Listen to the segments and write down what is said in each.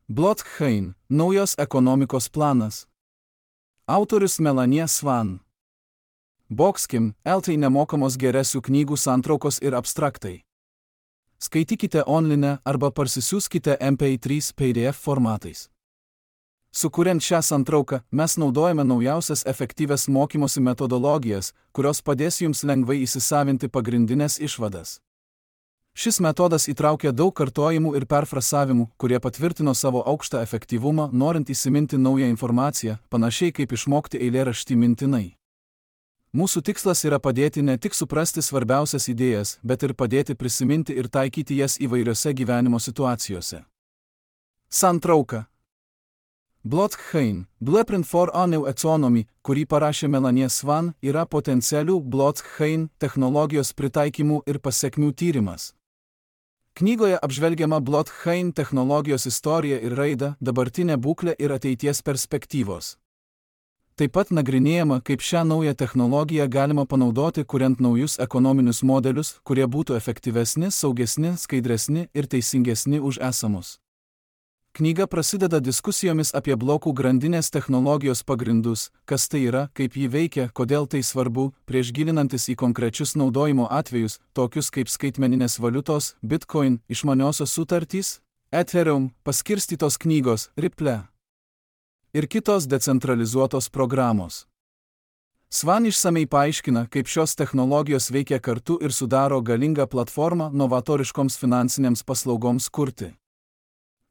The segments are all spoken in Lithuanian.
Blockchain – naujos ekonomikos planas. Autorius Melanie Swan. Boxkim – LT nemokamos geresių knygų santraukos ir abstraktai. Skaitykite online arba parsisiųskite MP3 PDF formatais. Sukuriant šią santrauką, mes naudojame naujausias efektyvias mokymosi metodologijas, kurios padės jums lengvai įsisavinti pagrindinės išvadas. Šis metodas įtraukia daug kartojimų ir perfrasavimų, kurie patvirtino savo aukštą efektyvumą, norint įsiminti naują informaciją, panašiai kaip išmokti eilėraštį mintinai. Mūsų tikslas yra padėti ne tik suprasti svarbiausias idėjas, bet ir padėti prisiminti ir taikyti jas įvairiose gyvenimo situacijose. Santrauka. Blockchain – Blueprint for a New Economy, kurį parašė Melanie Swan, yra potencialių blockchain technologijos pritaikymų ir pasekmių tyrimas. Knygoje apžvelgiama blockchain technologijos istorija ir raida, dabartinė būklė ir ateities perspektyvos. Taip pat nagrinėjama, kaip šią naują technologiją galima panaudoti, kuriant naujus ekonominius modelius, kurie būtų efektyvesni, saugesni, skaidresni ir teisingesni už esamus. Knyga prasideda diskusijomis apie blokų grandinės technologijos pagrindus, kas tai yra, kaip ji veikia, kodėl tai svarbu, prieš gilinantis į konkrečius naudojimo atvejus, tokius kaip skaitmeninės valiutos, Bitcoin, išmaniosios sutartys, Ethereum, paskirstytos knygos, Ripple ir kitos decentralizuotos programos. Swan išsamei paaiškina, kaip šios technologijos veikia kartu ir sudaro galingą platformą novatoriškoms finansinėms paslaugoms kurti.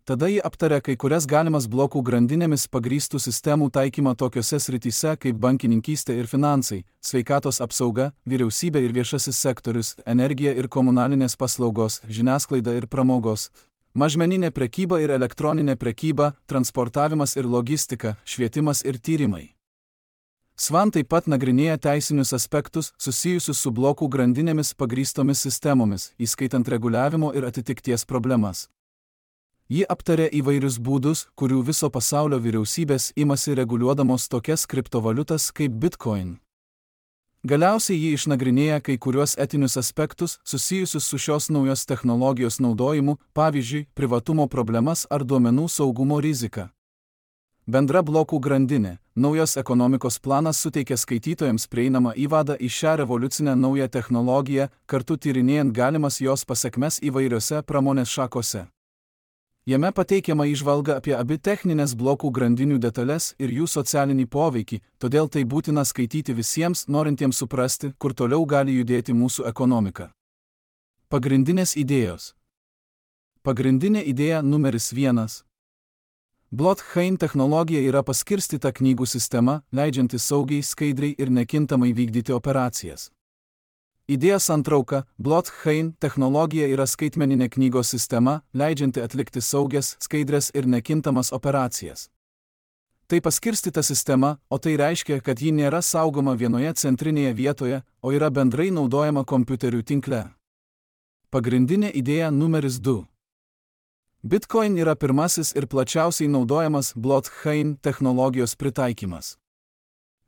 Tada ji aptaria kai kurias galimas blokų grandinėmis pagrįstų sistemų taikymą tokiose srityse kaip bankininkystė ir finansai, sveikatos apsauga, vyriausybė ir viešasis sektorius, energija ir komunalinės paslaugos, žiniasklaida ir pramogos, mažmeninė prekyba ir elektroninė prekyba, transportavimas ir logistika, švietimas ir tyrimai. Swan taip pat nagrinėja teisinius aspektus susijusius su blokų grandinėmis pagrįstomis sistemomis, įskaitant reguliavimo ir atitikties problemas. Ji aptarė įvairius būdus, kurių viso pasaulio vyriausybės imasi reguliuodamos tokias kriptovaliutas kaip Bitcoin. Galiausiai ji išnagrinėja kai kuriuos etinius aspektus susijusius su šios naujos technologijos naudojimu, pavyzdžiui, privatumo problemas ar duomenų saugumo riziką. Bendra blokų grandinė, naujos ekonomikos planas suteikia skaitytojams prieinamą įvadą į šią revoliucinę naują technologiją, kartu tyrinėjant galimas jos pasekmes įvairiose pramonės šakose. Jame pateikiama įžvalga apie abi techninės blokų grandinių detalės ir jų socialinį poveikį, todėl tai būtina skaityti visiems, norintiems suprasti, kur toliau gali judėti mūsų ekonomika. Pagrindinės idėjos. Pagrindinė idėja numeris 1. Blockchain technologija yra paskirstyta knygų sistema, leidžianti saugiai, skaidriai ir nekintamai vykdyti operacijas. Idėja santrauka. Blockchain technologija yra skaitmeninė knygos sistema, leidžianti atlikti saugias, skaidrias ir nekintamas operacijas. Tai paskirstyta sistema, o tai reiškia, kad ji nėra saugoma vienoje centrinėje vietoje, o yra bendrai naudojama kompiuterių tinkle. Pagrindinė idėja numeris 2. Bitcoin yra pirmasis ir plačiausiai naudojamas blockchain technologijos pritaikymas.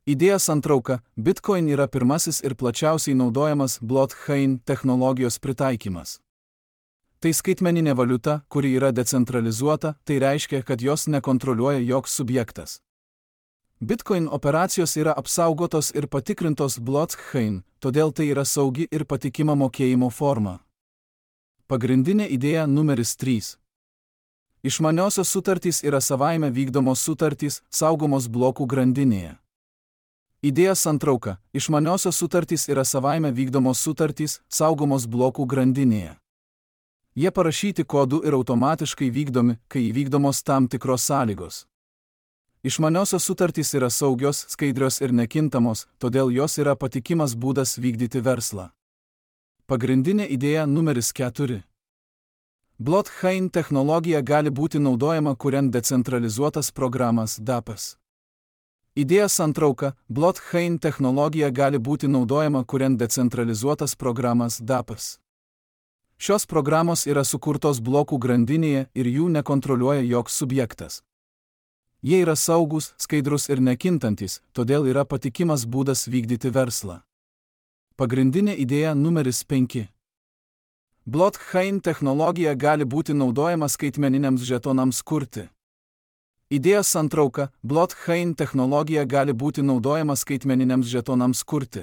Idėja santrauka. Bitcoin yra pirmasis ir plačiausiai naudojamas blockchain technologijos pritaikymas. Tai skaitmeninė valiuta, kuri yra decentralizuota, tai reiškia, kad jos nekontroliuoja joks subjektas. Bitcoin operacijos yra apsaugotos ir patikrintos blockchain, todėl tai yra saugi ir patikima mokėjimo forma. Pagrindinė idėja numeris 3. Išmaniosios sutartys yra savaime vykdomos sutartys, saugomos blokų grandinėje. Idėja santrauka. Išmaniosios sutartys yra savaime vykdomos sutartys, saugomos blokų grandinėje. Jie parašyti kodu ir automatiškai vykdomi, kai įvykdomos tam tikros sąlygos. Išmaniosios sutartys yra saugios, skaidrios ir nekintamos, todėl jos yra patikimas būdas vykdyti verslą. Pagrindinė idėja numeris 4. Blockchain technologija gali būti naudojama kuriant decentralizuotas programas DApps. Idėja santrauka. Blockchain technologija gali būti naudojama kuriant decentralizuotas programas DApps. Šios programos yra sukurtos blokų grandinėje ir jų nekontroliuoja joks subjektas. Jie yra saugus, skaidrus ir nekintantis, todėl yra patikimas būdas vykdyti verslą. Pagrindinė idėja numeris 5. Blockchain technologija gali būti naudojama skaitmeniniams žetonams kurti. Idėjos santrauka – blockchain technologija gali būti naudojama skaitmeniniams žetonams kurti.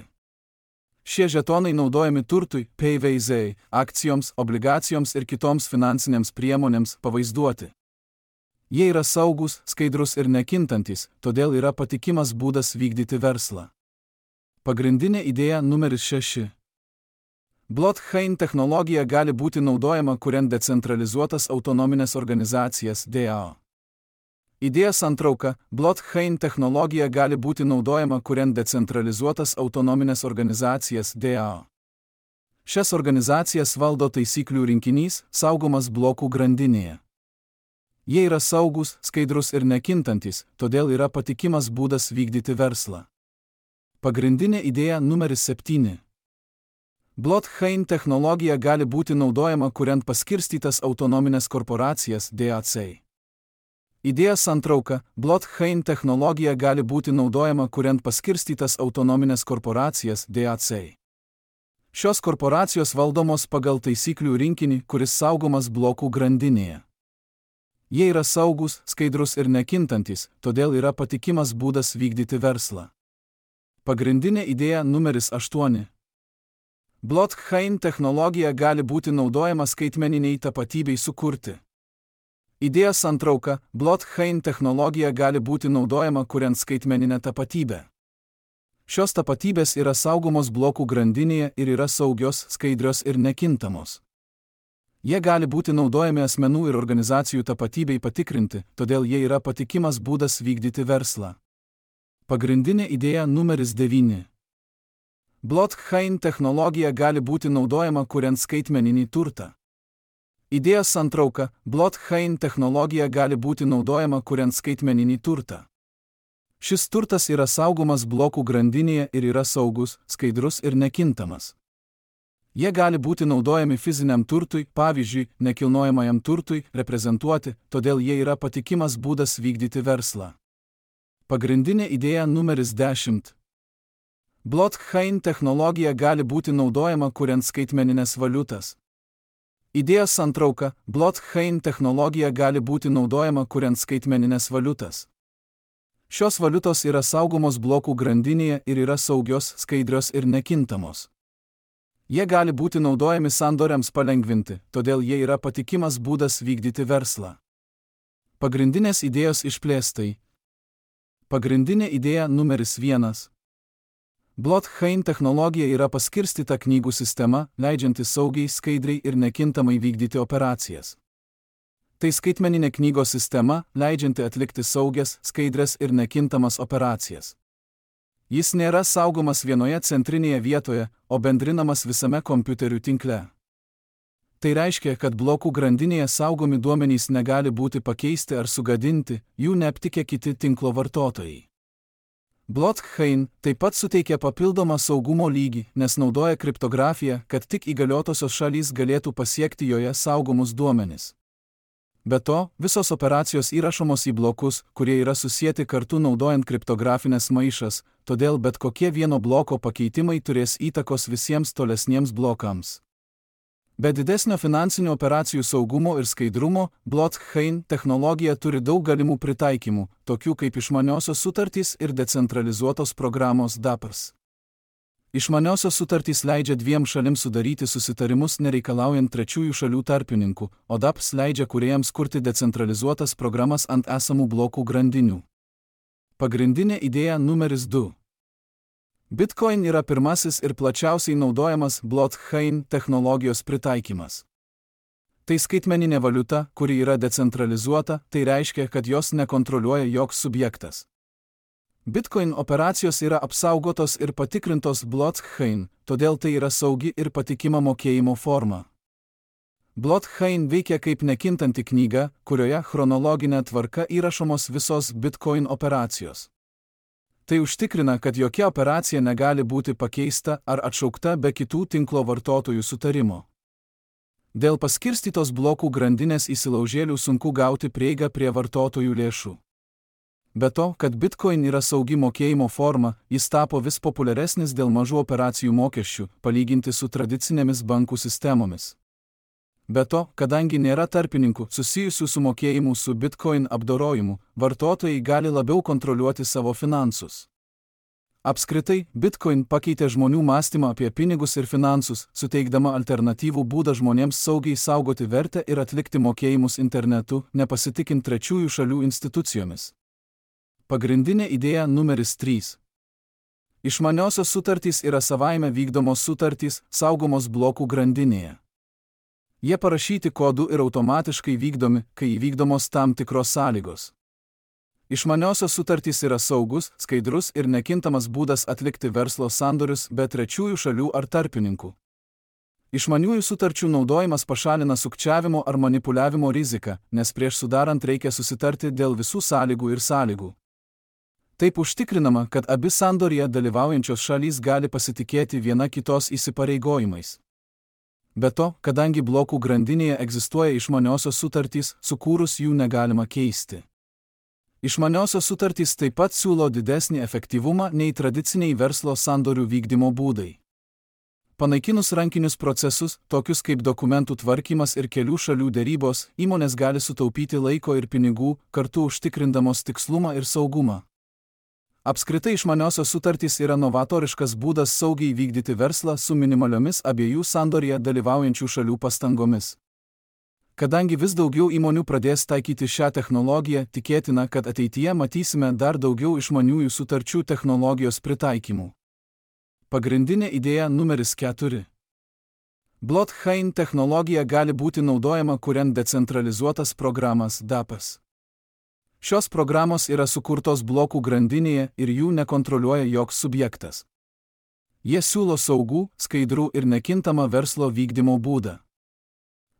Šie žetonai naudojami turtui, PVZ, akcijoms, obligacijoms ir kitoms finansinėms priemonėms pavaizduoti. Jie yra saugus, skaidrus ir nekintantis, todėl yra patikimas būdas vykdyti verslą. Pagrindinė idėja numeris 6. Blockchain technologija gali būti naudojama kuriant decentralizuotas autonominės organizacijas DAO. Idėjos santrauka – blockchain technologija gali būti naudojama kuriant decentralizuotas autonominės organizacijas DAO. Šias organizacijas valdo taisyklių rinkinys, saugomas blokų grandinėje. Jie yra saugus, skaidrus ir nekintantis, todėl yra patikimas būdas vykdyti verslą. Pagrindinė idėja numeris 7. Blockchain technologija gali būti naudojama kuriant paskirstytas autonominės korporacijas DAC. Idėjos santrauka – blockchain technologija gali būti naudojama kuriant paskirstytas autonominės korporacijas DAC. Šios korporacijos valdomos pagal taisyklių rinkinį, kuris saugomas blokų grandinėje. Jie yra saugus, skaidrus ir nekintantis, todėl yra patikimas būdas vykdyti verslą. Pagrindinė idėja numeris 8. Blockchain technologija gali būti naudojama skaitmeniniai tapatybei sukurti. Idėjos santrauka – blockchain technologija gali būti naudojama kuriant skaitmeninę tapatybę. Šios tapatybės yra saugomos blokų grandinėje ir yra saugios, skaidrios ir nekintamos. Jie gali būti naudojami asmenų ir organizacijų tapatybei patikrinti, todėl jie yra patikimas būdas vykdyti verslą. Pagrindinė idėja numeris 9. Blockchain technologija gali būti naudojama kuriant skaitmeninį turtą. Idėjos santrauka – blockchain technologija gali būti naudojama kuriant skaitmeninį turtą. Šis turtas yra saugomas blokų grandinėje ir yra saugus, skaidrus ir nekintamas. Jie gali būti naudojami fiziniam turtui, pavyzdžiui, nekilnojamajam turtui, reprezentuoti, todėl jie yra patikimas būdas vykdyti verslą. Pagrindinė idėja numeris 10. Blockchain technologija gali būti naudojama kuriant skaitmeninės valiutas. Idėjos santrauka – blockchain technologija gali būti naudojama kuriant skaitmeninės valiutas. Šios valiutos yra saugomos blokų grandinėje ir yra saugios, skaidrios ir nekintamos. Jie gali būti naudojami sandoriams palengvinti, todėl jie yra patikimas būdas vykdyti verslą. Pagrindinės idėjos išplėstai. Pagrindinė idėja numeris 1. Blockchain technologija yra paskirstyta knygų sistema, leidžianti saugiai, skaidriai ir nekintamai vykdyti operacijas. Tai skaitmeninė knygos sistema, leidžianti atlikti saugias, skaidrias ir nekintamas operacijas. Jis nėra saugomas vienoje centrinėje vietoje, o bendrinamas visame kompiuterių tinkle. Tai reiškia, kad blokų grandinėje saugomi duomenys negali būti pakeisti ar sugadinti, jų neaptikę kiti tinklo vartotojai. Blockchain taip pat suteikia papildomą saugumo lygį, nes naudoja kriptografiją, kad tik įgaliotosios šalys galėtų pasiekti joje saugomus duomenis. Be to, visos operacijos įrašomos į blokus, kurie yra susieti kartu naudojant kriptografinės maišas, todėl bet kokie vieno bloko pakeitimai turės įtakos visiems tolesniems blokams. Be didesnio finansinių operacijų saugumo ir skaidrumo, blockchain technologija turi daug galimų pritaikymų, tokių kaip išmaniosios sutartys ir decentralizuotos programos DAPS. Išmaniosios sutartys leidžia dviem šalims sudaryti susitarimus nereikalaujant trečiųjų šalių tarpininkų, o DAPS leidžia kūrėjams kurti decentralizuotas programas ant esamų blokų grandinių. Pagrindinė idėja numeris 2. Bitcoin yra pirmasis ir plačiausiai naudojamas blockchain technologijos pritaikymas. Tai skaitmeninė valiuta, kuri yra decentralizuota, tai reiškia, kad jos nekontroliuoja joks subjektas. Bitcoin operacijos yra apsaugotos ir patikrintos blockchain, todėl tai yra saugi ir patikima mokėjimo forma. Blockchain veikia kaip nekintanti knyga, kurioje chronologinė tvarka įrašomos visos Bitcoin operacijos. Tai užtikrina, kad jokia operacija negali būti pakeista ar atšaukta be kitų tinklo vartotojų sutarimo. Dėl paskirstytos blokų grandinės įsilaužėlių sunku gauti prieigą prie vartotojų lėšų. Be to, kad Bitcoin yra saugi mokėjimo forma, jis tapo vis populiaresnis dėl mažų operacijų mokesčių, palyginti su tradicinėmis bankų sistemomis. Be to, kadangi nėra tarpininkų susijusių su mokėjimu su Bitcoin apdorojimu, vartotojai gali labiau kontroliuoti savo finansus. Apskritai, Bitcoin pakeitė žmonių mąstymą apie pinigus ir finansus, suteikdama alternatyvų būdą žmonėms saugiai saugoti vertę ir atlikti mokėjimus internetu, nepasitikint trečiųjų šalių institucijomis. Pagrindinė idėja numeris 3. Išmaniosios sutartys yra savaime vykdomos sutartys, saugomos blokų grandinėje. Jie parašyti kodu ir automatiškai vykdomi, kai įvykdomos tam tikros sąlygos. Išmaniosios sutartys yra saugus, skaidrus ir nekintamas būdas atlikti verslo sandorius be trečiųjų šalių ar tarpininkų. Išmaniųjų sutarčių naudojimas pašalina sukčiavimo ar manipuliavimo riziką, nes prieš sudarant reikia susitarti dėl visų sąlygų ir sąlygų. Taip užtikrinama, kad abi sandorėje dalyvaujančios šalys gali pasitikėti viena kitos įsipareigojimais. Be to, kadangi blokų grandinėje egzistuoja išmaniosios sutartys, sukūrus jų negalima keisti. Išmaniosios sutartys taip pat siūlo didesnį efektyvumą nei tradiciniai verslo sandorių vykdymo būdai. Panaikinus rankinius procesus, tokius kaip dokumentų tvarkymas ir kelių šalių derybos, įmonės gali sutaupyti laiko ir pinigų, kartu užtikrindamos tikslumą ir saugumą. Apskritai išmaniosios sutartys yra novatoriškas būdas saugiai vykdyti verslą su minimaliomis abiejų sandorėje dalyvaujančių šalių pastangomis. Kadangi vis daugiau įmonių pradės taikyti šią technologiją, tikėtina, kad ateityje matysime dar daugiau išmaniųjų sutarčių technologijos pritaikymų. Pagrindinė idėja numeris 4. Blockchain technologija gali būti naudojama kuriant decentralizuotas programas DApps. Šios programos yra sukurtos blokų grandinėje ir jų nekontroliuoja joks subjektas. Jie siūlo saugų, skaidrų ir nekintamą verslo vykdymo būdą.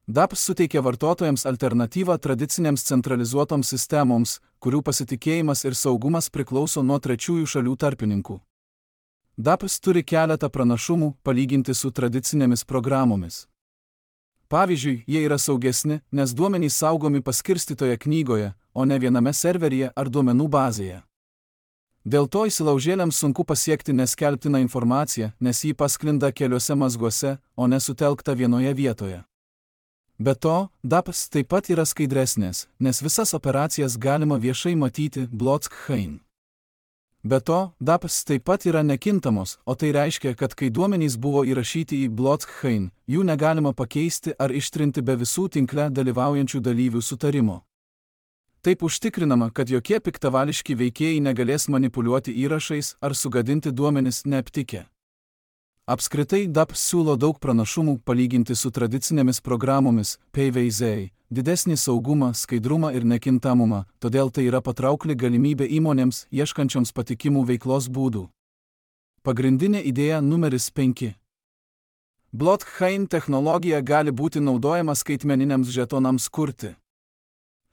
DApps suteikia vartotojams alternatyvą tradicinėms centralizuotoms sistemoms, kurių pasitikėjimas ir saugumas priklauso nuo trečiųjų šalių tarpininkų. DApps turi keletą pranašumų palyginti su tradicinėmis programomis. Pavyzdžiui, jie yra saugesni, nes duomenys saugomi paskirstytoje knygoje, o ne viename serveryje ar duomenų bazėje. Dėl to įsilaužėliams sunku pasiekti neskelbtiną informaciją, nes ji pasklinda keliuose mazguose, o nesutelkta vienoje vietoje. Be to, DApps taip pat yra skaidresnės, nes visas operacijas galima viešai matyti blockchain. Be to, DApps taip pat yra nekintamos, o tai reiškia, kad kai duomenys buvo įrašyti į blockchain, jų negalima pakeisti ar ištrinti be visų tinkle dalyvaujančių dalyvių sutarimo. Taip užtikrinama, kad jokie piktavališki veikėjai negalės manipuliuoti įrašais ar sugadinti duomenis neaptikę. Apskritai, DApps siūlo daug pranašumų palyginti su tradicinėmis programomis, PVZ, didesnį saugumą, skaidrumą ir nekintamumą, todėl tai yra patraukli galimybė įmonėms, ieškančioms patikimų veiklos būdų. Pagrindinė idėja numeris 5. Blockchain technologija gali būti naudojama skaitmeniniams žetonams kurti.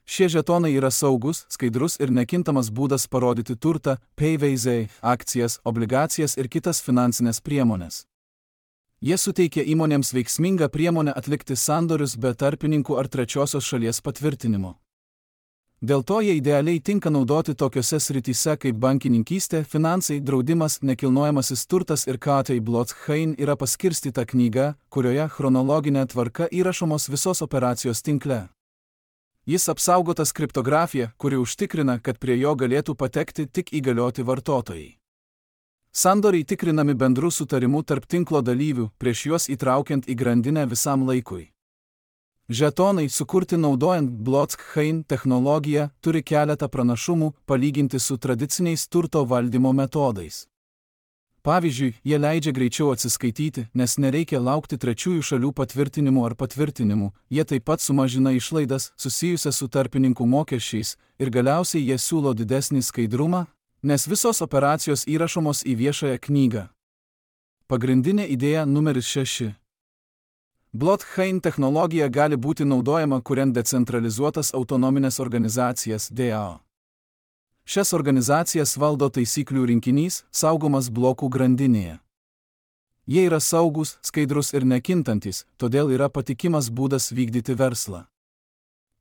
Šie žetonai yra saugus, skaidrus ir nekintamas būdas parodyti turtą, PVZ, akcijas, obligacijas ir kitas finansinės priemonės. Jie suteikia įmonėms veiksmingą priemonę atlikti sandorius be tarpininkų ar trečiosios šalies patvirtinimo. Dėl to jie idealiai tinka naudoti tokiose srityse kaip bankininkystė, finansai, draudimas, nekilnojamasis turtas ir KT blockchain yra paskirstyta knyga, kurioje chronologinė tvarka įrašomos visos operacijos tinkle. Jis apsaugotas kriptografija, kuri užtikrina, kad prie jo galėtų patekti tik įgalioti vartotojai. Sandoriai tikrinami bendru sutarimu tarp tinklo dalyvių, prieš juos įtraukiant į grandinę visam laikui. Žetonai, sukurti naudojant blockchain technologiją, turi keletą pranašumų palyginti su tradiciniais turto valdymo metodais. Pavyzdžiui, jie leidžia greičiau atsiskaityti, nes nereikia laukti trečiųjų šalių patvirtinimų ar patvirtinimų, jie taip pat sumažina išlaidas susijusias su tarpininkų mokesčiais ir galiausiai jie siūlo didesnį skaidrumą, nes visos operacijos įrašomos į viešąją knygą. Pagrindinė idėja numeris 6. Blockchain technologija gali būti naudojama kuriant decentralizuotas autonominės organizacijas DAO. Šias organizacijas valdo taisyklių rinkinys, saugomas blokų grandinėje. Jie yra saugus, skaidrus ir nekintantis, todėl yra patikimas būdas vykdyti verslą.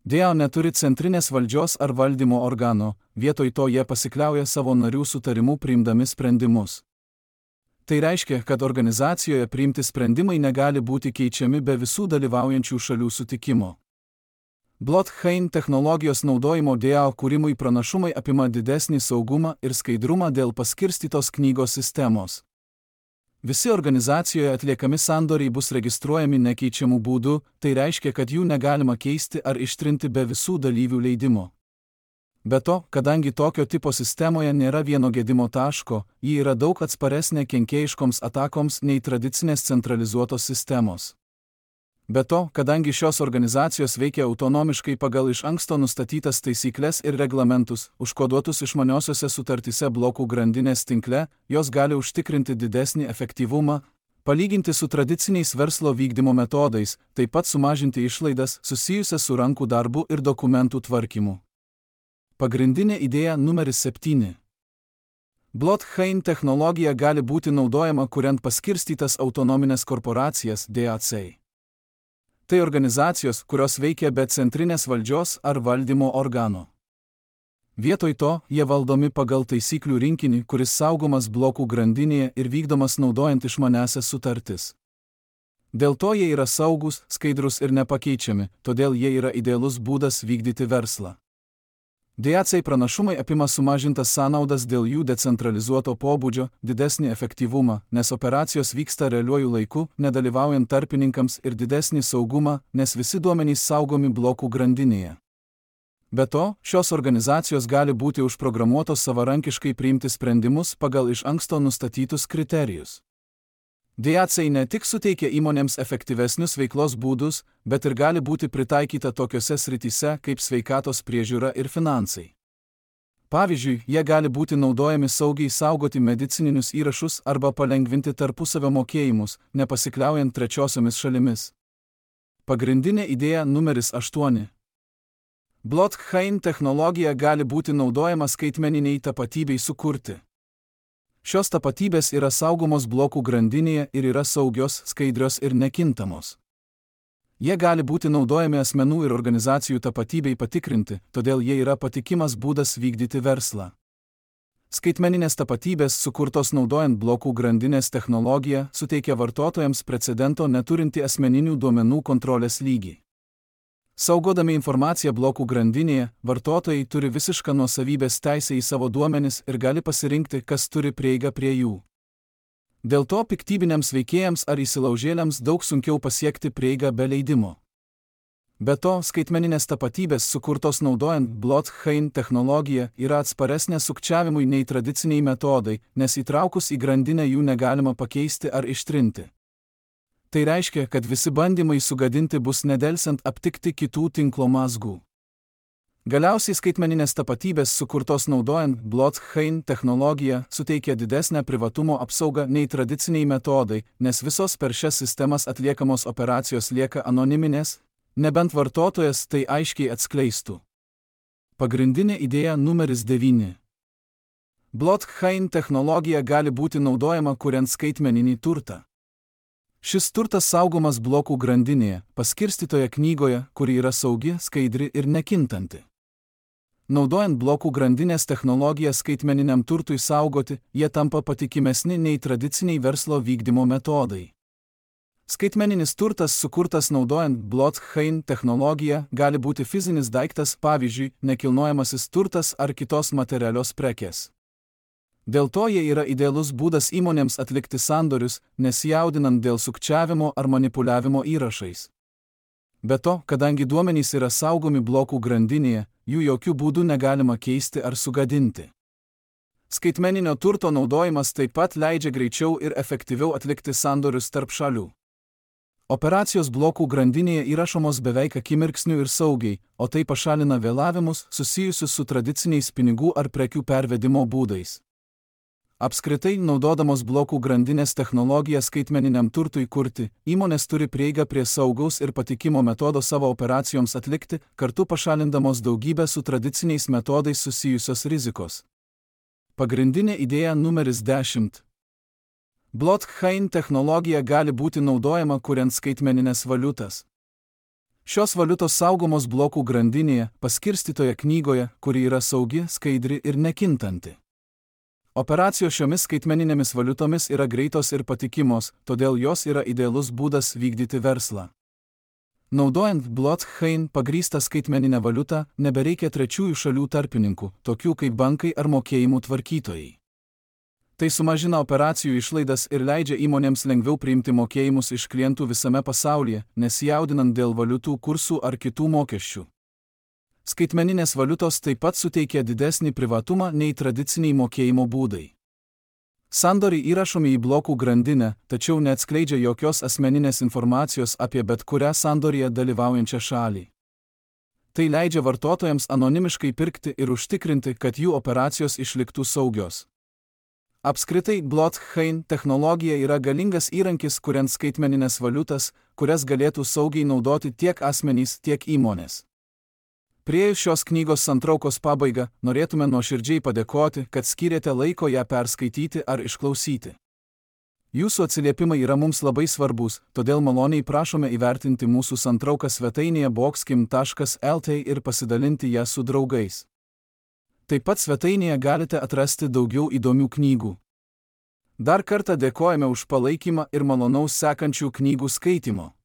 DAO neturi centrinės valdžios ar valdymo organo, vietoj to jie pasikliauja savo narių sutarimu priimdami sprendimus. Tai reiškia, kad organizacijoje priimti sprendimai negali būti keičiami be visų dalyvaujančių šalių sutikimo. Blockchain technologijos naudojimo DAO kūrimui pranašumai apima didesnį saugumą ir skaidrumą dėl paskirstytos knygos sistemos. Visi organizacijoje atliekami sandoriai bus registruojami nekeičiamų būdų, tai reiškia, kad jų negalima keisti ar ištrinti be visų dalyvių leidimo. Be to, kadangi tokio tipo sistemoje nėra vieno gedimo taško, ji yra daug atsparesnė kenkėjiškoms atakoms nei tradicinės centralizuotos sistemos. Be to, kadangi šios organizacijos veikia autonomiškai pagal iš anksto nustatytas taisykles ir reglamentus, užkoduotus išmaniosiose sutartyse blokų grandinės tinkle, jos gali užtikrinti didesnį efektyvumą, palyginti su tradiciniais verslo vykdymo metodais, taip pat sumažinti išlaidas susijusias su rankų darbu ir dokumentų tvarkymu. Pagrindinė idėja numeris 7. Blockchain technologija gali būti naudojama kuriant paskirstytas autonominės korporacijas DAC. Tai organizacijos, kurios veikia be centrinės valdžios ar valdymo organo. Vietoj to, jie valdomi pagal taisyklių rinkinį, kuris saugomas blokų grandinėje ir vykdomas naudojant išmaniąsias sutartis. Dėl to jie yra saugus, skaidrus ir nepakeičiami, todėl jie yra idealus būdas vykdyti verslą. DAC pranašumai apima sumažintas sąnaudas dėl jų decentralizuoto pobūdžio, didesnį efektyvumą, nes operacijos vyksta realiuoju laiku, nedalyvaujant tarpininkams ir didesnį saugumą, nes visi duomenys saugomi blokų grandinėje. Be to, šios organizacijos gali būti užprogramuotos savarankiškai priimti sprendimus pagal iš anksto nustatytus kriterijus. DAC ne tik suteikia įmonėms efektyvesnius veiklos būdus, bet ir gali būti pritaikyta tokiose srityse kaip sveikatos priežiūra ir finansai. Pavyzdžiui, jie gali būti naudojami saugiai saugoti medicininius įrašus arba palengvinti tarpusavio mokėjimus, nepasikliaujant trečiosiomis šalimis. Pagrindinė idėja numeris 8. Blockchain technologija gali būti naudojama skaitmeniniai tapatybei sukurti. Šios tapatybės yra saugomos blokų grandinėje ir yra saugios, skaidrios ir nekintamos. Jie gali būti naudojami asmenų ir organizacijų tapatybei patikrinti, todėl jie yra patikimas būdas vykdyti verslą. Skaitmeninės tapatybės, sukurtos naudojant blokų grandinės technologiją, suteikia vartotojams precedento neturinti asmeninių duomenų kontrolės lygį. Saugodami informaciją blokų grandinėje, vartotojai turi visišką nuosavybės teisę į savo duomenis ir gali pasirinkti, kas turi prieigą prie jų. Dėl to piktybiniams veikėjams ar įsilaužėliams daug sunkiau pasiekti prieigą be leidimo. Be to, skaitmeninės tapatybės, sukurtos naudojant blockchain technologiją, yra atsparesnės sukčiavimui nei tradiciniai metodai, nes įtraukus į grandinę jų negalima pakeisti ar ištrinti. Tai reiškia, kad visi bandymai sugadinti bus nedelsiant aptikti kitų tinklo mazgų. Galiausiai skaitmeninės tapatybės, sukurtos naudojant blockchain technologiją, suteikia didesnę privatumo apsaugą nei tradiciniai metodai, nes visos per šias sistemas atliekamos operacijos lieka anoniminės, nebent vartotojas tai aiškiai atskleistų. Pagrindinė idėja numeris 9. Blockchain technologija gali būti naudojama kuriant skaitmeninį turtą. Šis turtas saugomas blokų grandinėje, paskirstytoje knygoje, kuri yra saugi, skaidri ir nekintanti. Naudojant blokų grandinės technologiją skaitmeniniam turtui saugoti, jie tampa patikimesni nei tradiciniai verslo vykdymo metodai. Skaitmeninis turtas, sukurtas naudojant blockchain technologiją, gali būti fizinis daiktas, pavyzdžiui, nekilnojamasis turtas ar kitos materialios prekės. Dėl to jie yra idealus būdas įmonėms atlikti sandorius, nesijaudinant dėl sukčiavimo ar manipuliavimo įrašais. Be to, kadangi duomenys yra saugomi blokų grandinėje, jų jokių būdų negalima keisti ar sugadinti. Skaitmeninio turto naudojimas taip pat leidžia greičiau ir efektyviau atlikti sandorius tarp šalių. Operacijos blokų grandinėje įrašomos beveik akimirksniu ir saugiai, o tai pašalina vėlavimus susijusius su tradiciniais pinigų ar prekių pervedimo būdais. Apskritai, naudodamos blokų grandinės technologiją skaitmeniniam turtui kurti, įmonės turi prieigą prie saugaus ir patikimo metodo savo operacijoms atlikti, kartu pašalindamos daugybę su tradiciniais metodais susijusios rizikos. Pagrindinė idėja numeris 10. Blockchain technologija gali būti naudojama kuriant skaitmeninės valiutas. Šios valiutos saugomos blokų grandinėje, paskirstytoje knygoje, kuri yra saugi, skaidri ir nekintanti. Operacijos šiomis skaitmeninėmis valiutomis yra greitos ir patikimos, todėl jos yra idealus būdas vykdyti verslą. Naudojant blockchain pagrįstą skaitmeninę valiutą, nebereikia trečiųjų šalių tarpininkų, tokių kaip bankai ar mokėjimų tvarkytojai. Tai sumažina operacijų išlaidas ir leidžia įmonėms lengviau priimti mokėjimus iš klientų visame pasaulyje, nesijaudinant dėl valiutų kursų ar kitų mokesčių. Skaitmeninės valiutos taip pat suteikia didesnį privatumą nei tradiciniai mokėjimo būdai. Sandoriai įrašomi į blokų grandinę, tačiau neatskleidžia jokios asmeninės informacijos apie bet kurią sandorėje dalyvaujančią šalį. Tai leidžia vartotojams anonimiškai pirkti ir užtikrinti, kad jų operacijos išliktų saugios. Apskritai, blockchain technologija yra galingas įrankis, kuriant skaitmeninės valiutas, kurias galėtų saugiai naudoti tiek asmenys, tiek įmonės. Priėjus šios knygos santraukos pabaigą, norėtume nuoširdžiai padėkoti, kad skyrėte laiko ją perskaityti ar išklausyti. Jūsų atsiliepimai yra mums labai svarbus, todėl maloniai prašome įvertinti mūsų santrauką svetainėje boxkim.lt ir pasidalinti ją su draugais. Taip pat svetainėje galite atrasti daugiau įdomių knygų. Dar kartą dėkojame už palaikymą ir malonaus sekančių knygų skaitymo.